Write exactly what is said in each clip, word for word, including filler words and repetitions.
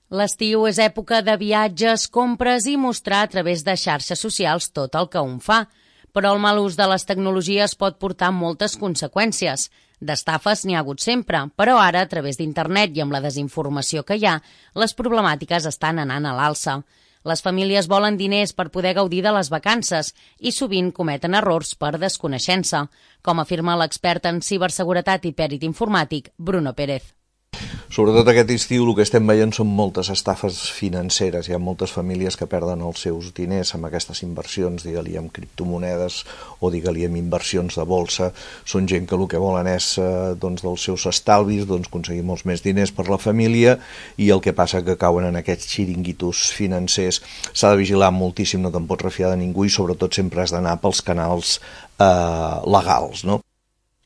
L'estiu és època de viatges, compres i mostrar a través de xarxes socials tot el que un fa. Però el mal ús de les tecnologies pot portar moltes conseqüències. D'estafes n'hi ha hagut sempre, però ara, a través d'internet i amb la desinformació que hi ha, les problemàtiques estan anant a l'alça. Les famílies volen diners per poder gaudir de les vacances i sovint cometen errors per desconeixença, com afirma l'expert en ciberseguretat i pèrit informàtic, Bruno Pérez. Sobretot aquest estiu el que estem veient són moltes estafes financeres. Hi ha moltes famílies que perden els seus diners amb aquestes inversions, digue-li amb criptomonedes o digue-li amb inversions de bolsa. Són gent que el que volen és doncs, dels seus estalvis, doncs, aconseguir molts més diners per la família, i el que passa que cauen en aquests xiringuitos financers. S'ha de vigilar moltíssim, no te'n pots refiar de ningú i sobretot sempre has d'anar pels canals eh, legals, no?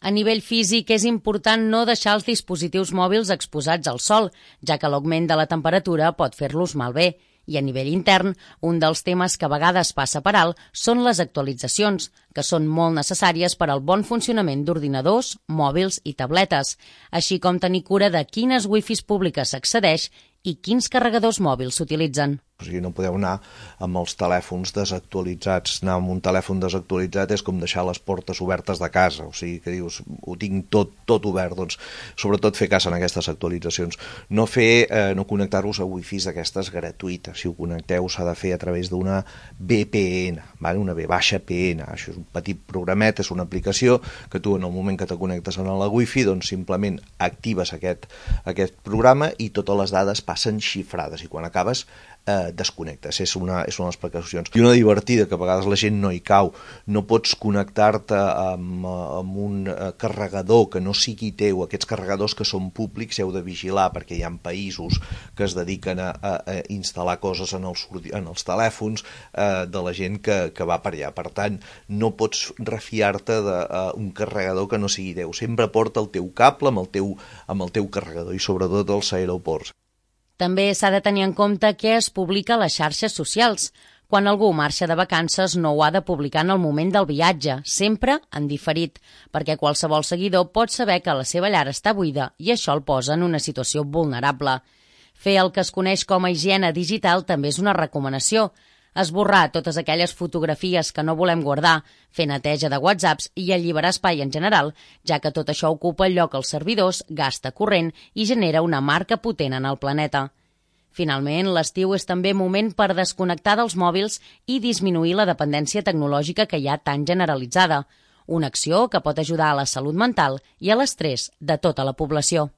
A nivell físic és important no deixar els dispositius mòbils exposats al sol, ja que l'augment de la temperatura pot fer-los malbé. I a nivell intern, un dels temes que a vegades passa per alt són les actualitzacions, que són molt necessàries per al bon funcionament d'ordinadors, mòbils i tabletes, així com tenir cura de quines wifis públiques s'accedeix i quins carregadors mòbils s'utilitzen. O sigui, no podeu anar amb els telèfons desactualitzats. Anar amb un telèfon desactualitzat és com deixar les portes obertes de casa. O sigui, que dius, ho tinc tot, tot obert. Doncs, sobretot fer cas en aquestes actualitzacions. No fer, eh, no connectar-vos a wifis d'aquestes gratuïtes. Si ho connecteu s'ha de fer a través d'una V P N, vale? Una V P N. Això és un petit programet, és una aplicació que tu en el moment que te connectes a la wifi, doncs simplement actives aquest, aquest programa i totes les dades passen xifrades i quan acabes eh, desconnectes. És una, és una de les precaucions. I una divertida que a vegades la gent no hi cau. No pots connectar-te amb, amb un carregador que no sigui teu. Aquests carregadors que són públics heu de vigilar perquè hi ha països que es dediquen a, a, a instal·lar coses en els, en els telèfons eh, de la gent que, que va per allà. Per tant, no pots refiar-te d'un carregador que no sigui teu. Sempre porta el teu cable amb el teu, amb el teu carregador i sobretot als aeroports. També s'ha de tenir en compte què es publica a les xarxes socials. Quan algú marxa de vacances no ho ha de publicar en el moment del viatge, sempre en diferit, perquè qualsevol seguidor pot saber que la seva llar està buida i això el posa en una situació vulnerable. Fer el que es coneix com a higiene digital també és una recomanació. Esborrar totes aquelles fotografies que no volem guardar, fer neteja de whatsapps i alliberar espai en general, ja que tot això ocupa el lloc als servidors, gasta corrent i genera una marca potent en el planeta. Finalment, l'estiu és també moment per desconnectar dels mòbils i disminuir la dependència tecnològica que hi ha tan generalitzada, una acció que pot ajudar a la salut mental i a l'estrès de tota la població.